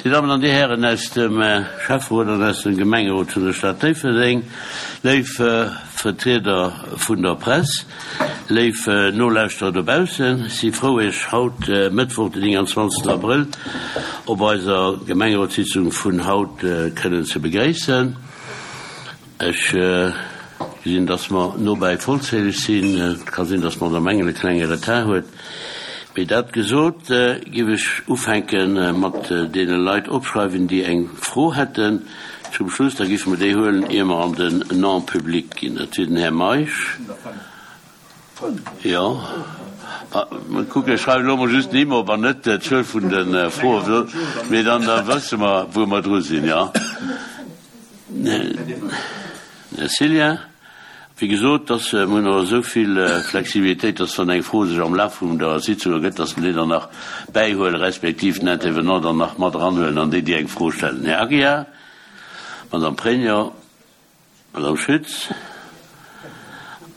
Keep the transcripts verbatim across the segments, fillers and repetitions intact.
Dir Dammen an Dir Hären aus dem Schäfferot an aus dem Gemengerot vun der Stad Déifferdeng, léif Vertrieder vun der Press, léif Nolauschterer dobaussen, ech si frou, Iech haut, Mëttwoch, den nénganzwanzegsten Abrëll, op eiser Gemengerotssitzung vun haut kënnen ze begréissen. Ech gesinn, dass mer nobäi vollzähleg sinn. Et ka sinn, dass d'Madame Engel e klenge Retard huet. Mee dat gesot, géif ech ufänke mat deene Leit opschreiwen, déi eng Fro hätten. Zum Schluss, da géife mer déi huelen, ier mer an den Non-public ginn. Dat wier den Här Meisch. Jo. Mol kucken, ech schreiwen elo mol just d'Nimm op an net d'Zuel vun de Froen, mee dann wësse mer, wou mer dru sinn, jo. Här Cillien, wéi gesot, dass mir hunn och esou vill Flexibilitéit, dass wann eng Fro sech am Laf vun der Sitzung ergëtt, dass mer déi dann nach bäihuelen, respektiv den Intervenant dann nach mat eranhuelen an déi, déi eng Fro stellen. Här Aguiar, Madame Pregno, Madame Schütz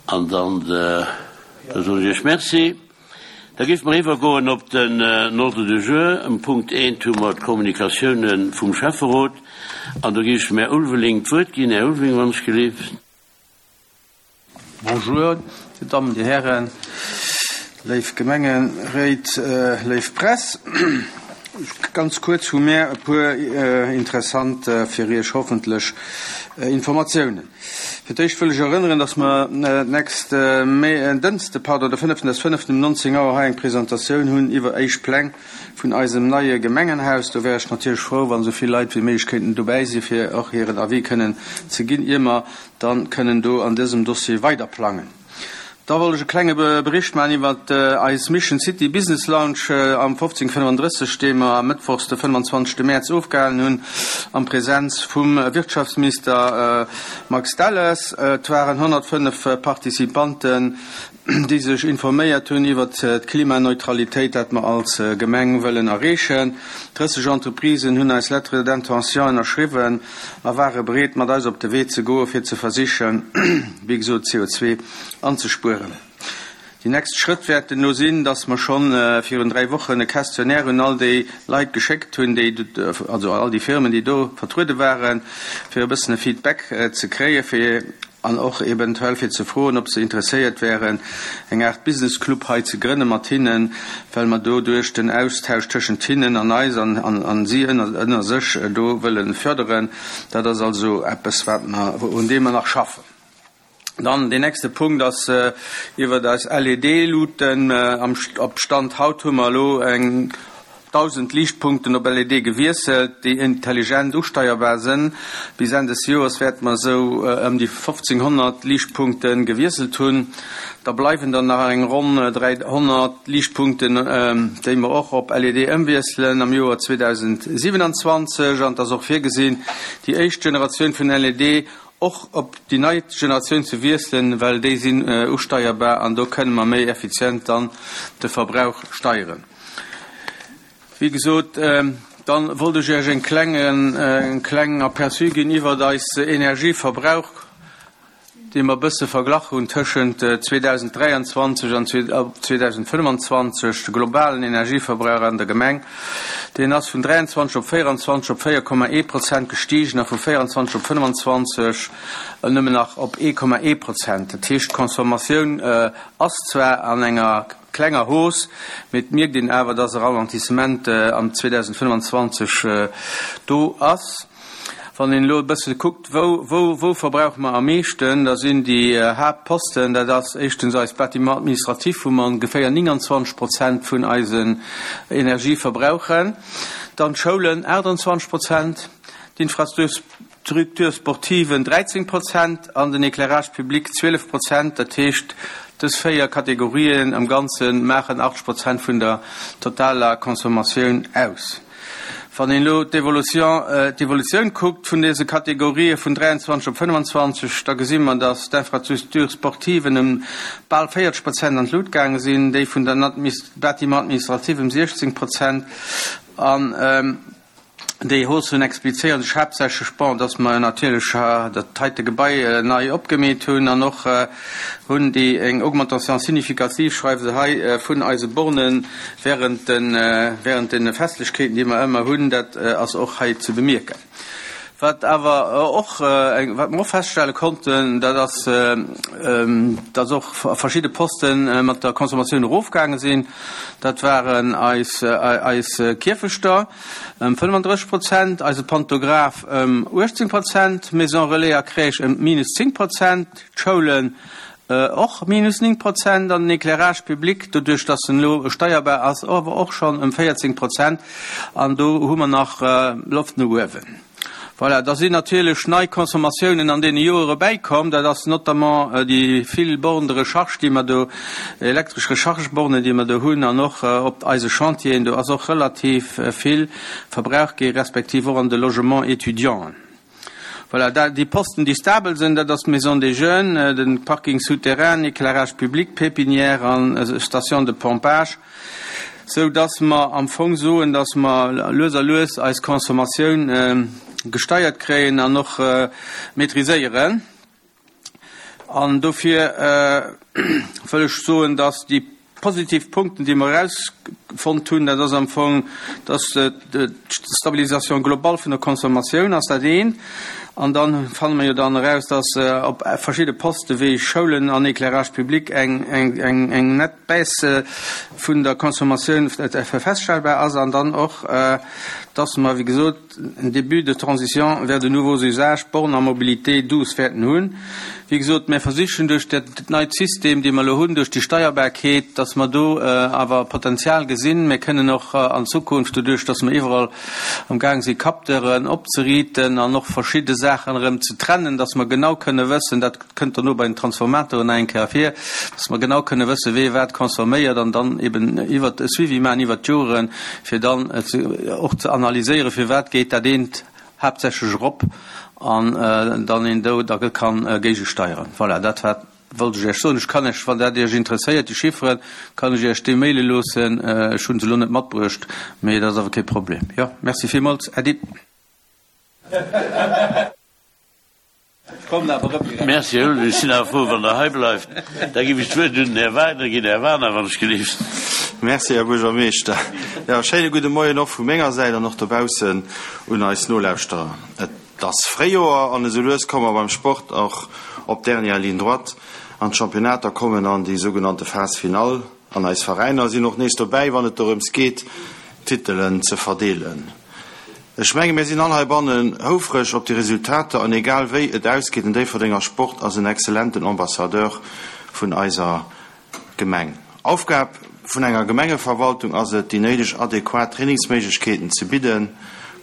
an dann da soen ech Iech Merci. Da géife mer iwwergoen op den Ordre du jour. Um Punkt eent hu mer d'Kommunikatiounen vum Schäfferot an do géif ech dem Här Ulveling d'Wuert ginn. Här Ulveling, wann ech gelift. Bonjour, Dir Dammen, Dir Hären, léif Gemengeréit, léif Press. Ganz kuerz hu mär e puer interessant, fir Iech hoffentlech, Informatiounen. Fir d'éischt wëll ech erënneren, dass mer d'nächst Dënste, pardon, de fënneften des fënneften um nonzéng Auer hei eng Presentatioun hunn iwwer éischt Pläng vun eisem neie Gemengenhaus. Do wär ech natierlech frou, wann esou vill Leit wéi méiglech kéinten dobäi si fir och hiren Avis kënnen ze ginn, ier mer dann kënnen do an dësem Dossier weiderplangen. Da wollt ech e klenge Bericht maachen iwwer eis Mission City Business Lounge am fofzéng fënnefandrësseg, dee mer mëttwochs de fënnefenzwanzegste Mäerz ofgehalen hunn am Präsenz vum Wirtschaftsminister Max Delles. Et waren honnertfënnef Participanten, déi sech informéiert hunn iwwer d'Klimaneutralitéit, dat mer als Gemeng wëllen erreechen. Drësseg Entreprisen hunn eis Lettre d'intention ënnerschriwwen a ware bereet, mat eis op de Wee ze goen, fir ze versichen, wéi gesot, C O zwei anzespueren. Déi nächst Schrëtt wäerten no sinn, dass mer schonn virun dräi Wochen e Questionnaire un all déi Leit geschéckt hunn, déi, also all déi Firmen, déi do vertruede waren, fir e bëssen e Feedback ze kréien, fir an och eventuell fir ze froen, ob se interesséiert wären, eng Art Business Club hei ze grënne mat hinnen, well mer doduerch den Austausch tëschent hinnen an eis an, an, an si ënner, ënner sech do wëllen förderen. Dat ass also eppes, wat mer, un deem mer nach schaffen. Dann den nächste Punkt ass iwwer eis L E D-Luuten. Am St-, op Stand haut hu mer elo eng tausend Liichtpunkten op L E D gewiesselt, déi intelligent usteierbar sinn. Bis Enn des Joers wäerten mer esou ëm déi fofzehnhonnert Liichtpunkten gewiesselt hunn. Da bleiwen dann nach eng ronn dräihonnert Liichtpunkten, déi mer och op L E D ëmwiesselen am Joer zweitausendsiebenundzwanzig. An das och virgesinn, déi éischt Generatioun vun L E D och op déi nei Generatioun ze wiesselen, well déi sinn usteierbar an do kënne mer méi effizient dann de Verbrauch steieren. Wie gesot, dann wollte ich Iech en klengen, en klengen Aperçu ginn iwwer eis Energieverbrauch, dee mer bësse verglach hunn tëschent zweitausenddräiundzwanzeg an zweitausendfënnefenzwanzeg, de globalen Energieverbrauch an der Gemeng. Deen ass vun dräiundzwanzeg op véierundzwanzeg op véier Komma ee Prozent gestiegen a vu véierundzwanzeg op fënnefenzwanzeg nëmmen nach op ee Komma ee Prozent. Dat heescht, d'Consommatioun ass zwar an enger klenger Hausse, mee et mierkt een awer, dass e Ralentissement am zweitausendfënnefenzwanzeg do ass. Wann een elo e bësse kuckt, wou, wou, wou verbrauche mer am meeschten, da sinn déi Hauptposten, dat ass éischtens eis Bâtiment administratif, wou mer ongeféier neunundzwanzeg Prozent vun eisen Energie verbrauchen. Dann d'Schoulen achtundzwanzeg Prozent, d'Infrastruktur sportive dreizehn Prozent an den Éclairage public zwölf Prozent. Dat heescht, dës véier Kategorien am Ganzen maachen achtzig Prozent vun der totaler Consommation aus. Wann een elo d'Evolution, d'Evolutioun kuckt vun dese Kategorien vun dräiundzwanzeg op fënnefenzwanzeg, da gesinn mer, dass d'Infrastruktur sportive ëm bal véierzeg Prozent an d'Lut gaange sinn, déi vun der Bâtiment administratif ëm siechzehn Prozent an, ähm, Déi Haussen explizéieren sech haaptsächlech, bon, dass mer natierlech dat heite Gebai nei opgemeet hunn an och hunn déi eng Augmentation significative, schreiwe se hei, vun eise Borne während de während de Festlechkeeten, déi mer ëmmer hunn. Dat ass och hei ze bemierken. Wat awer och eng, wat mer och feststelle konnten, dat ass, dass och verschidde Poste mat der Consommatioun erofgaange sinn. Dat waren eis eis Kierfechter ëm fënnefandrësseg Prozent, eise Pantograph ëm uechtzéng Prozent, d'Maison Relais a Crèche ëm minus zéng Prozent, d'Schoulen och minus néng Prozent an den Éclairage public, doduerch dass en elo steierbar ass, awer och schonn ëm véierzéng Prozent. An do hu mer nach Loft no uewen. Voilà, da sinn natierlech nei Consommatiounen an deene Joere bäikomm. Dat ass notamment déi vill Bornes de recharge, déi mer do, elektresch Rechargebornen, déi mer do hunn, an och op eise Chantieren, do ass och relativ vill verbraucht gi respektiv och an de Logements étudiants. Voilà, da, déi Posten, déi stabel sinn, dat ass d'Maison des Jeunes, de Parking souterrain, Éclairage public, Pépinière an Station de pompage, sou dass mer am Fong soen, dass mer lues a lues eis Consommatioun gesteiert kréien an och maîtriséieren. An dofir wëll ech soen, dass déi positiv Punkten, déi mer erausfonnt hunn, dat ass am Fong, dass d'Stabilisation globale vun der Consommatioun ass dat eent. An dann fanne mer jo dann eraus, dass op verschidde Poste wéi Schoulen an Éclairage public eng, eng, eng, eng nett Baisse vun der Consommatioun feststellbar ass. An dann och, dass mer, wéi gesot, en début de transition vers de nouveaux usages, Bornes à mobilité douce wäerten hunn. Wéi gesot, mir versichen duerch dat neit System, dee mer elo hunn, duerch déi Steierbarkeet, dass mer do awer Potenzial gesinn. Mir kënnen och an Zukunft, doduerch dass mer iwwerall am Gaang si Capteuren opzeriiten an och verschidde Saachen erëm ze trennen, dass mer genau kënne wëssen, dat kënnt dono bei den Transformatoren nach eng Kéier ervir, dass mer genau kënne wëssen, wee wat consomméiert an dann eben iwwert e Suivi maachen iwwert d'Joren, fir dann och ze analyséieren, firwat geet dat eent haaptsächlech erop an dann een do da kann géigesteieren. Voilà, dat war, wollt ech Iech soen. Ech kann Iech, wann dat Iech interesséiert, déi Chifferen, kann ech Iech déi maile loossen. Ech hu se elo net matbruecht, mee dat ass awer kee Problem. Jo, merci villmools. Äddi. Ech kommen awer erëm direkt. Merci, Här Ulrich. Ech sinn awer frou, wann Der hei bleift. Da géif ech d'Wuert un den Här Wagner ginn. Här Wagner, wann ech gelift. Merci, Här Buergermeeschter. Jo, schéine gudde Moien och vu menger Säit an och dobaussen un eis Nolauschterer. Et ass Fréijoer an esou lues komme mer beim Sport och op d'Dernière ligne droite an d'Championnater kommen an déi sougenannte Phase finale an eis Veräiner sinn och nees dobäi, wann et dorëms geet, Titelen ze verdeelen. Ech menge mir sinn all heibannen houfreg op déi Resultater an egal wéi et ausgeet, den Déifferdenger Sport ass en exzellenten Ambassadeur vun eiser Gemeng. Aufgab vun enger Gemengeverwaltung ass et, déi néideg adequat Trainingsméiglechkeeten ze bidden,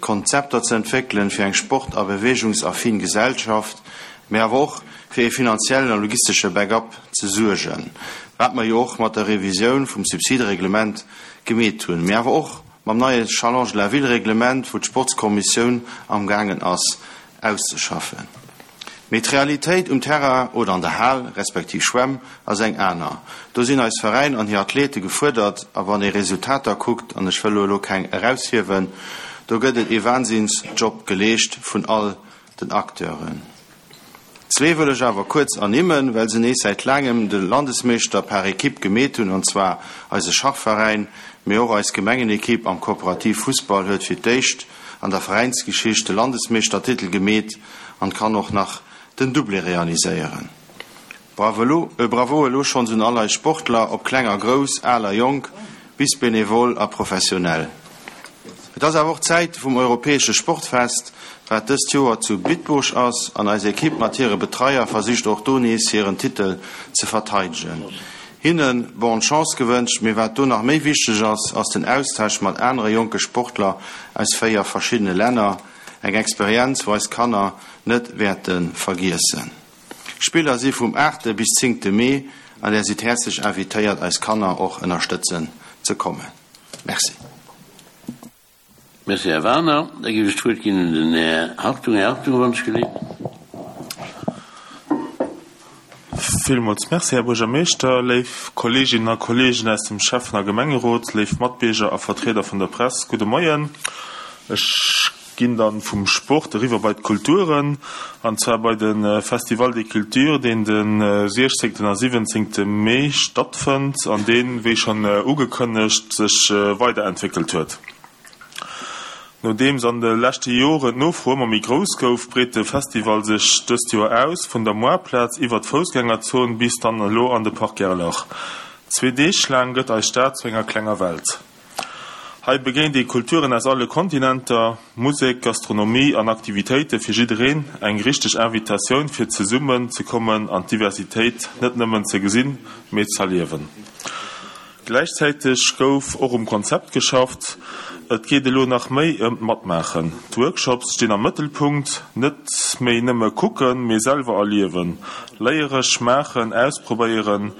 Konzepter ze entwéckelen fir eng sport a beweegungsaffin Gesellschaft, mee awer och fir ee finanziellen a logistesche Backup ze suergen, wat mer jo och mat der Revisioun vum Subsidereglement gemeet hunn, mee awer och mam neie Challenge de la Ville-Reglement, wou d'Sportskommissioun amgaangen ass auszeschaffen. Mee d'Realitéit um Terrain oder an der Hal, respektiv Schwämm, ass eng aner. Do sinn eis Veräin an hir Athlete gefuerdert a wann ee Resultater kuckt, an ech wëll elo keng eraushiewen, do gëtt et ee Wahnsinnsjob geleescht vun all den Acteuren. Zwee wëll ech awer kuerz ernimmen, well se nees säit laangem de Landesmeeschter par équipe gemeet hunn, an zwar eise Schachveräin, mee och eis Gemengenequipe am Kooperativ Fussball huet fir d'éischt an der Veräinsgeschicht de Landesmeeschtertitel gemeet an kann och nach den Doublé realiséieren. Bravo, bravo elo schonns un all eis Sportler, ob kleng a grouss, al a jonk, bis benevol a professionell. Et ass awer och d'Zäit vum europäesche Sportfest, wat dëst Joer zu Bitburg ass, an eis Ekipp mat hire Betreier versicht och do nees hiren Titel ze verteidegen. Hinne bonne Chance gewënscht, mee wat do nach méi wichteg ass, ass den Austausch mat anere jonke Sportler aus véier verschiddene Länner, eng Experienz wou eis Kanner net wäerte vergiessen. D'Spiller si vum aachte bis zéngte Mee an där sidd häerzlech invitéiert eis Kanner och ënnerstëtzen ze kommen. Merci. Merci, Här Werner. Da géif ech d'Wuert ginn un den Här Hartung. Här Hartung, wann ech gelift. Villmools Merci, Här Buergermeeschter, léif Kolleeginnen a Kolleegen aus dem Schäffen a Gemengerot, léif Matbierger a Vertrieder vun der Press, gudde Moien. Ech ginn dann vum Sport eriwwer bei d'Kulturen, an zwar bei de Festival des Cultures, deen de siechzéngten a siwwenzéngte Mee stattfënnt an deen, wéi schonn ugekënnegt, sech weiderentwéckelt huet. Nodeems an de leschte Joren d'Nofro ëmmer méi grouss gouf, breet de Festival sech dëst Joer aus, vun der Moarplaz iwwer d'Foussgängerzon bis dann elo an de Parc Gerlach. Zwee Deeg laang gëtt eis Stad zu enger klenger Welt. Hei begéint ee Kulturen aus alle Kontinenter, Musek, Gastronomie an Aktivitéite fir jiddereen, eng richteg Invitatioun fir zesummen ze kommen an d'Diversitéit net nëmmen ze gesinn, mee z'erliewen. Gläichzäiteg gouf och um Konzept geschafft. Et geet elo nach méi ëm d'Matmaachen. D'Workshops stinn am Mëttelpunkt, net méi nëmme kucken, mee selwer erliewen, léiere, schmaachen, ausprobéieren.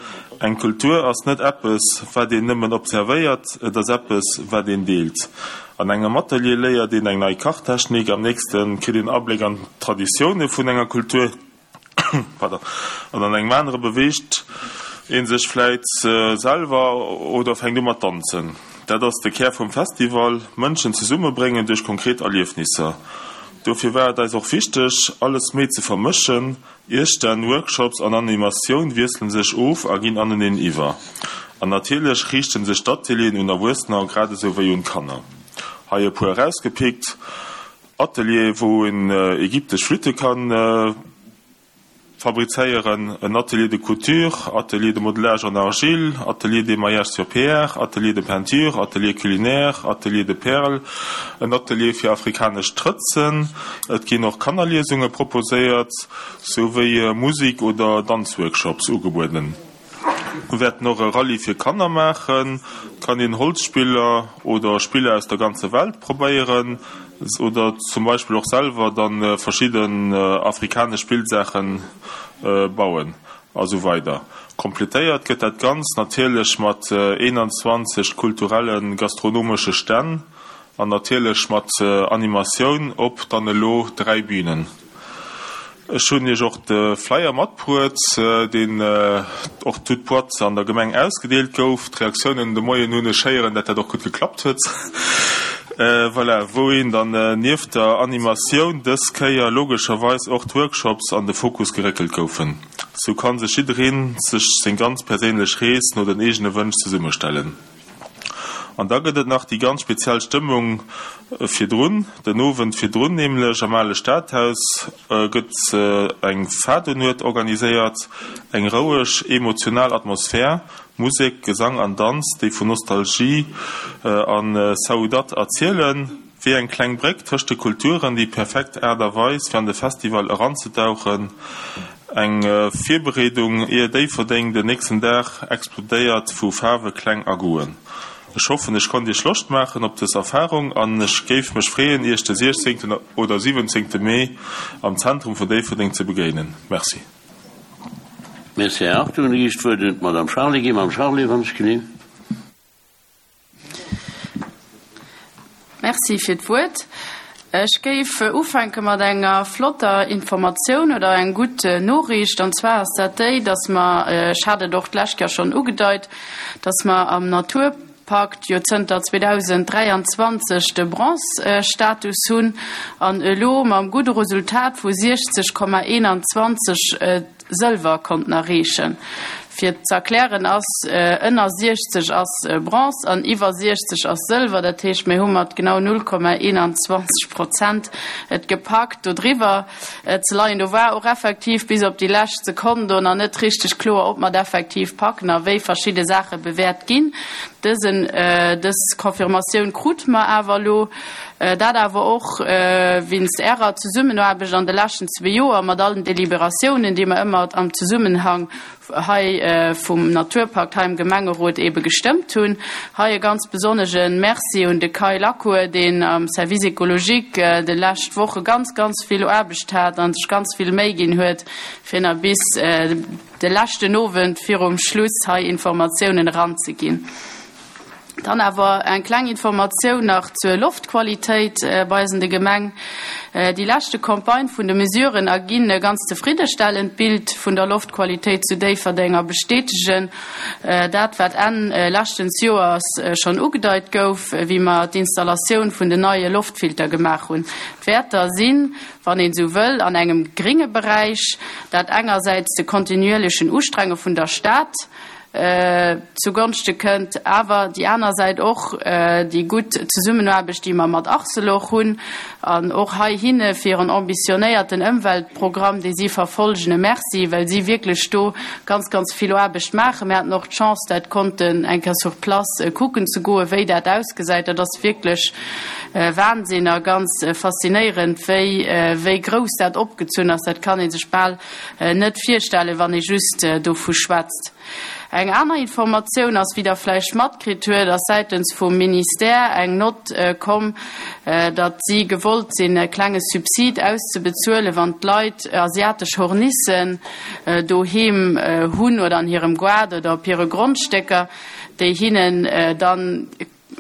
Eng Kultur ass net eppes, wat een nëmmen observéiert, et ass eppes, wat een deelt. An engem Atelier léiert een eng nei Kachtechnik, am nächste kritt een Abléck an d'Traditioune vun enger Kultur. Pardon. An an engem anere beweegt ee sech vläit selwer oder fänkt u mat danzen. Dat ass de Kär vum Festival, Mënschen zesummebréngen duerch konkret Erliefnisser. Dofir war et eis och wichteg, alles méi ze vermëschen. Iesstänn, Workshops an Animatioun wiessele sech of a ginn aneneen iwwer. An natierlech riichte sech d'Atelieren un Erwuessener grad esou wéi un d'Kanner. Hei e puer erausgepickt, Atelier, wou een ägyptesch Flütte kann fabrizéieren, en Atelier de couture, Atelier de modelage en argile, Atelier d'émaillage sur pierre, Atelier de peinture, Atelier culinaire, Atelier de perles, en Atelier fir afrikanesch Trëtzen. Et ginn och Kannerliesunge proposéiert, souwéi Musik oder Danzworkshops ugebueden. Mir wäerten och e Rallye fir Kanner maachen. Et kann een Holzspiller oder Spiller aus der ganzer Welt probéieren oder zum Beispill och selwer dann verschidden afrikanesch Spillsaachen bauen a sou weider. Kompletéiert gëtt dat Ganzt natierlech mat eenanzwanzeg kulturellen gastronomesche Stänn an natierlech mat Animatioun op dann elo dräi Bünen. Ech hunn Iech och de Flyer matbruet, deen och toute boîte an der Gemeng ausgedeelt gouf. D'Reaktiounen de Moien hunn ech héieren, dat dat och gutt geklappt huet. Voilà, wou een dann nieft der Animatioun dës Kéier logescherweis och d'Workshops an de Fokus geréckelt goufen. Sou kann sech jiddereen sech seng ganz perséinlech Rees no den eegene Wënsch zesummestellen. An da gëtt et nach déi ganz speziell Stëmmung virdrun, den Owend virdrun nämlech am ale Stadhaus gëtt eng Fadonuet organiséiert, eng roueg, emotional Atmosphär, Musek, Gesang an Danz, déi vun Nostalgie a Saudade erzielen, wéi eng kleng Bréck tëscht de Kulturen, déi perfekt Aart a Weis fir an de Festival eranzetauchen. Eng Virbereedung ier Déifferdeng den nächsten Dag explodéiert vu Faarwe, Kläng a Goûten. Ech hoffen ech konnt iech Loscht maachen op dës Erfarung an ech géif mech freeën iech de siechzéngten oder siwwenzéngte Mee am Zentrum vun Déifferdeng ze begéinen. Merci. Merci, Här Hartung. Da gi ech d'Wuert un d'Madame Charlé. Gi Madame Charlé, wann ech genehm. Merci fir d'Wuert. Ech géif ufänke mat enger flotter Informatioun oder eng gutt Noriicht. An zwar ass dat déi, dass mer, ech hat et och d'lescht Kéier schonn ugedeit, dass mer am Naturpakt jo zënter zweedausenddräianzwanzeg de Bronze-Status hunn an elo mam gudde Resultat vu siechzeg Komma eenanzwanzeg Sëlwer konnten erreechen. Fir z'erklären ass, ënner siechzeg ass Bronze an iwwer siechzeg ass Sëlwer. Dat heescht, mir hu mat genau null Komma eenanzwanzeg Prozent et gepackt, do driwwer ze leien. Do war och effektiv bis op déi lescht Sekonn do nach net richteg kloer, ob mer et effektiv packen a wéi verschidde Saache bewäert ginn. Dësen, dës Confirmatioun krute mer awer elo. Dat awer och wéinst Ärer Zesummenaarbecht an de leschten zwee Joer mat allen Deliberatiounen, déi mer ëmmer am Zesummenhang hei vum Naturpakt hei am Gemengerot eebe gestëmmt hunn. Hei e ganz besonnege Merci un de Kai Lacour, deen am Service écologique de lescht Woche ganz, ganz vill Aarbecht hat a sech ganz vill Méi ginn huet, fir nach bis de leschten Owend virum Schluss hei Informatiounen eranzeginn. Dann awer eng kleng Informatioun nach zur Loftqualitéit bei eis an de Gemeng. Déi leschte Campagne vun de Mesuren erginn e ganz zefriddestellend Bild vun der Loftqualitéit zu Déifferdeng a bestätegen dat, wat Enn leschtens Joers schonn ugedeit gouf, wéi mer d'Installatioun vun den neie Loftfilter gemaach hunn. D'Wäerter sinn, wann een esou wëll, an engem gringe Beräich, dat engersäits de kontinuierlechen Ustrenge vun der Stad zugonschte kënnt, awer déi aner Säit och déi gutt Zesummenaarbecht, déi mer mat Arcelor hunn, an och hei hinne fir hiren ambitionéierten Ëmweltprogramm, dee si verfolgen, e Merci, well si wierklech do ganz, ganz vill Aarbecht maachen. Mir haten och d'Chance, dat konnten eng Kéier sur place kucken ze goen, wéi dat ausgesäit. Dat ass wierklech Wahnsinn a ganz faszinéierend, wéi, wéi grouss dat opgezunn ass. Dat kann ee sech bal net virstellen, wann ee just dovu schwätzt. Eng aner Informatioun ass, wéi Der vläicht matkritt huet, ass säitens vum Ministère eng Nott komm, datt si gewollt sinn, e klenge Subsid auszebezuelen, wann d'Leit asiatesch Hornissen doheem hunn oder an hirem Gaart oder op hire Grondstécker, déi hinnen dann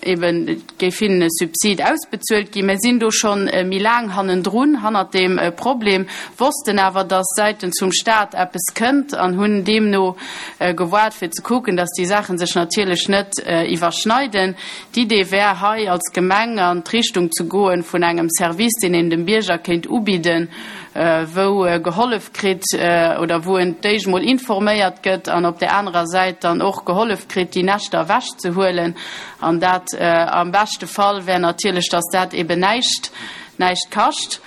Eben, et géif hinnen e Subsid ausbezuelt ginn. Mir sinn do scho méi laang hannendrun, hannert deem Problem, wossten awer, dass säitens vum Stat eppes kënnt an hunn deemno gewaart, fir ze kucken, dass déi Saache sech natierlech net iwwerschneiden. D'Idee wär hei als Gemeng an d'Richtung ze goen vun engem Service, deen een dem Bierger kéint ubidden, wou e gehollef kritt oder wou en d'éischt mol informéiert gëtt an op där anerer Säit dann och gehollef kritt, déi Näschter ewechzehuelen. An dat am beschte Fall wär natierlech, dass dat eben näischt, näischt kascht.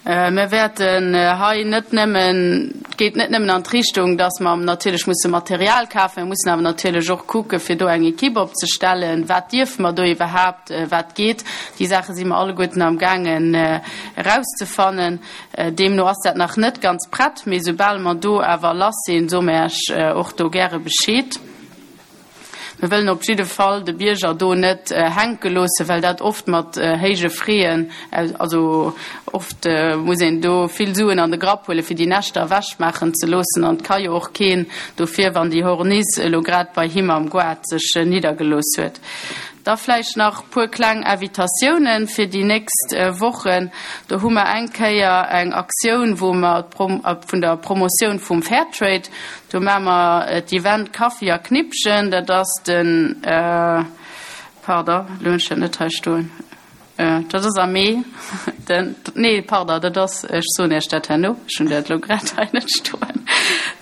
Mir wäerten hei net nëmmen, et geet net nëmmen an d'Richtung, dass mer natierlech musse Material kafen, mir mussen awer natierlech och kucke fir do eng Equipe opzestellen. Wat dierfe mer do iwwerhaapt, wat geet? Déi Saache si mer alleguerten amgaangen erauszefannen. Deemno ass dat nach net ganz prett, mee soubal mer do awer lass sinn, soe mer Iech och do gäre Bescheed. Mir wëllen op jidde Fall de Bierger do net hänke loossen, well dat oft mat héije Fräen, also oft muss een do vill Suen an de Grapp huelen, fir déi Näschter ewechmaachen ze loossen. An et ka jo och keen dofir, wann déi Horniss elo grad bei him am Goart sech niddergelooss huet. Da vläicht nach e puer kleng Invitatiounen fir déi nächst Wochen. Do hu mer eng Kéier eng Aktioun, wou mer vun der Promotioun vum Fairtrade, do maache mer d'Event Kaffi a Knippchen. Dat ass den, pardon, elo hunn ech dat net hei stoen. Dat ass am Mee, den, nee, pardon, dat ass, ech soen Iech dat herno, ech hunn dat elo grad hei net stoen.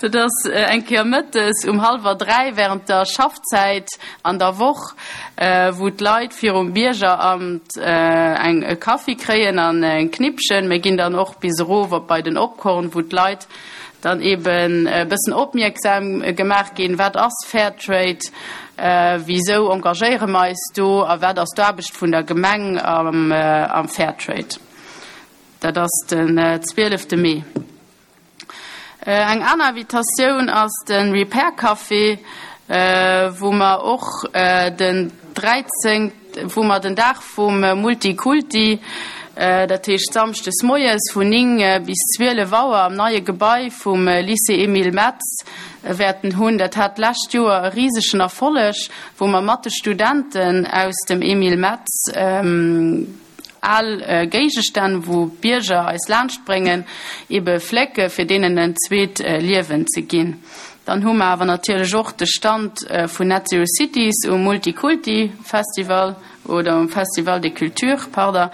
Dat ass eng Kéier mëttes um hallwer dräi während der Schaffzäit an der Woch, wou d'Leit virum Biergeramt eng e Kaffi kréien an eng Knippchen. Mir ginn dann och bis erof op bei den Opkorn, wou d'Leit dann eben e bëssen opmierksam gemaach ginn, wat ass Fairtrade, wisou engagéiere mer eis do a wat ass d'Aarbecht vun der Gemeng am Fairtrade. Dat ass den zwielefte Mee. Eng aner Invitatioun ass de Repair Café, wou mer och den dräizéngten, wou mer den Dag vum Multikulti, dat heescht samschdes moies vun néng bis zwielef Auer am neie Gebai vum Lycée Emile Metz wäerten hunn. Dat hat d'lescht Joer e risegen Erfolleg, wou mer mat de Studenten aus dem Emile Metz al Géigestänn, wou d'Bierger eis laanschtbréngen, ebe flécke fir deenen en zweet Liewen ze ginn. Dann hu mer awer natierlech och de Stand vun Net Zero Cities um Multikulti Festival oder um Festival des Cultures, pardon,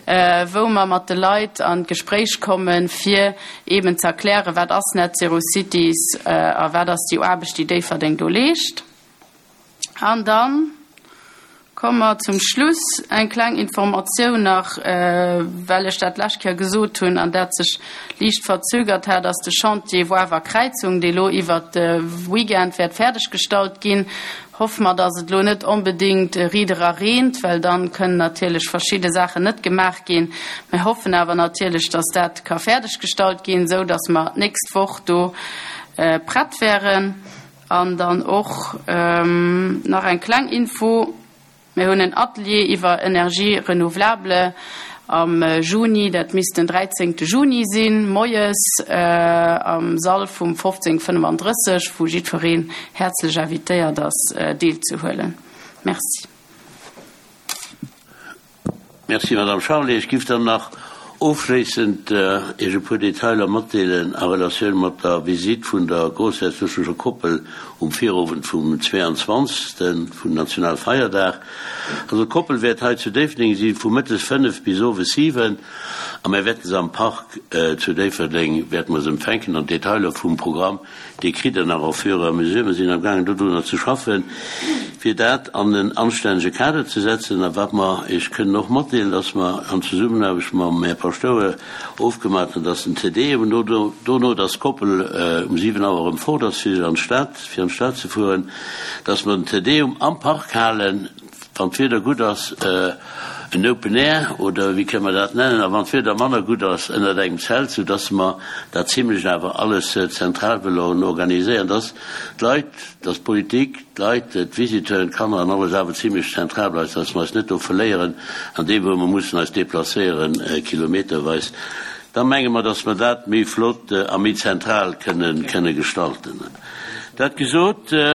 wou mer mat de Leit an d'Gespréich kommen, fir eben ze erklären, wat ass Net Zero Cities a wat ass déi Aarbecht, déi Déifferdeng do leescht. An dann komme mer zum Schluss. Eng kleng Informatioun nach, well ech dat d'lescht Kéier gesot hunn an dat sech liicht verzögert hat, ass de Chantier Woarwer Kräizung, dee lo iwwert de Weekend wäert fäerdeggestallt ginn. Hoffe mer, dass et lo net onbedéngt riedera reent, well dann kënnen natierlech verschidde Saachen net gemaach ginn. Mir hoffen awer natierlech, dass dat ka fäerdeggestallt ginn, esou dass mer d'nächst Woch do prett wären. An dann och nach eng kleng Info, Mir hunn en Atelier iwwer Énergies renouvelables am Juni, dat misst den dräizéngte Juni sinn, moies am Sall vum fofzéng fënnefandrësseg, wou jiddwereen häerzlech invitéiert ass deelzehuelen. Merci. Merci, Madame Charlé. Ech giff dann nach ofschléissend Iech e puer Detailer matdeelen a Relatioun mat der Visitt vun der groussherzoglecher Koppel um Virowend vum zweeanzwanzegsten, vum Nationalfeierdag. Also d'Koppel wäert hei zu Déifferdeng si vu mëttes fënnef bis owes siwen a mir wäerten se am Park zu Déifferdeng wäerte mer se empfänken an d'Detailer vum Programm, déi kritt Der nach au fur et à mesure. Mer sinn amgaangen dodrunner ze schaffen, fir dat an en anstännege Kader ze setzen. A wat mer Iech kënnen och matdeelen, dass mer an Zesummenaarbecht mam Här Paschtouer ofgemaach hunn, dass den Te Deum, dono dass d'Koppel um siwen Auer erëm fort ass fir an d'Stad, fir an d'Stad ze fueren, dass mer den Te Deum am Park halen, wann d'Wieder gutt ass, en Open Air oder wéi kënne mer dat nennen, a wann d'Wieder manner gutt ass, ënnert engem Zelt, soudass mer dat zimlech awer alles zentral wëllen organiséieren, dass d'Leit, dass d'Politik, d'Leit, d'Visiteuren, d'Kanner an alles awer zimlech zentral bleift, dass mer eis net do verléieren an deem, wou mer mussen eis deplacéieren kilometerweis. Da menge mer, dass mer dat méi flott a méi zentral kënnen, kënne gestalten. Dat gesot.